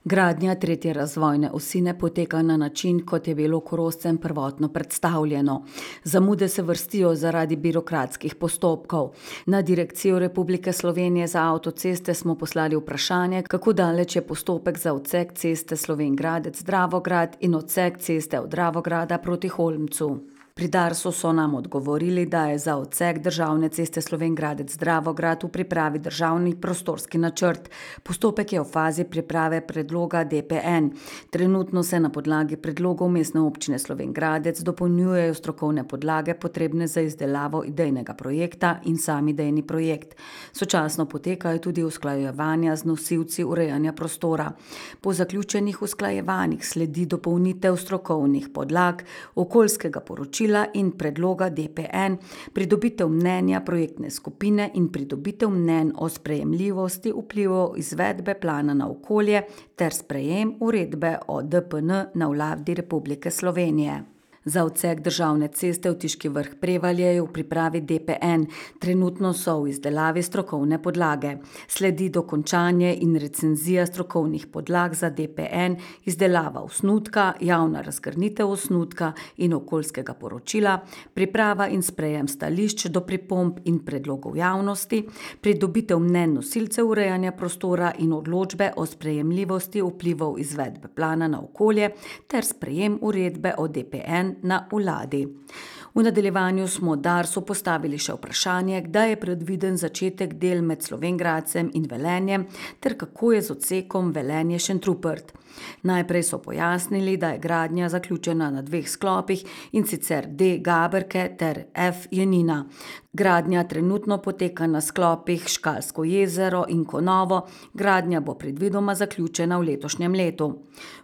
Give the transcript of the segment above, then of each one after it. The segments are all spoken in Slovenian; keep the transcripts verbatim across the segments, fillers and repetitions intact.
Gradnja tretje razvojne osi ne poteka na način, kot je bilo Korošcem prvotno predstavljeno. Zamude se vrstijo zaradi birokratskih postopkov. Na Direkcijo Republike Slovenije za avtoceste smo poslali vprašanje, kako daleč je postopek za odsek ceste Slovenj Gradec-Dravograd in odsek ceste od Dravograda proti Holmcu. Pri Darsu so nam odgovorili, da je za odsek državne ceste Slovenj Gradec-Dravograd v pripravi državni prostorski načrt. Postopek je v fazi priprave predloga D P N. Trenutno se na podlagi predlogov Mestne občine Slovenj Gradec dopolnjujejo strokovne podlage potrebne za izdelavo idejnega projekta in sam idejni projekt. Sočasno potekajo tudi usklajevanja z nosilci urejanja prostora. Po zaključenih usklajevanjih sledi dopolnitev strokovnih podlag, okoljskega poročila in predloga D P N, pridobitev mnenja projektne skupine in pridobitev mnenj o sprejemljivosti vplivov izvedbe plana na okolje ter sprejem uredbe o D P N na Vladi Republike Slovenije. Za odsek državne ceste Vtiški Vrh-Prevalje je v pripravi D P N, trenutno so v izdelavi strokovne podlage. Sledi dokončanje in recenzija strokovnih podlag za D P N, izdelava osnutka, javna razgrnitev osnutka in okoljskega poročila, priprava in sprejem stališč do pripomb in predlogov javnosti, pridobitev mnenj nosilcev urejanja prostora in odločbe o sprejemljivosti vplivov izvedbe plana na okolje ter sprejem uredbe o D P N na Vladi. V nadaljevanju smo Darsu postavili še vprašanje, kdaj je predviden začetek del med Slovenj Gradcem in Velenjem ter kako je z odsekom Velenje-Šentrupert. Najprej so pojasnili, da je gradnja zaključena na dveh sklopih, in sicer D Gaberke ter F Jenina. Gradnja trenutno poteka na sklopih Škalsko jezero in Konovo, gradnja bo predvidoma zaključena v letošnjem letu.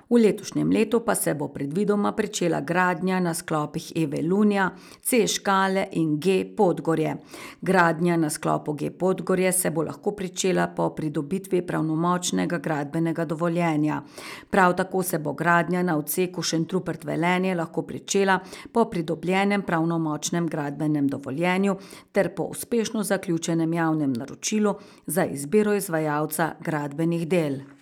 V letošnjem letu pa se bo predvidoma pričela gradnja na sklopih E Velunja, C Škale in G Podgorje. Gradnja na sklopu G Podgorje se bo lahko pričela po pridobitvi pravnomočnega gradbenega dovoljenja. Prav tako se bo gradnja na odseku Šentrupert-Velenje lahko pričela po pridobljenem pravnomočnem gradbenem dovoljenju ter po uspešno zaključenem javnem naročilu za izbiro izvajalca gradbenih del.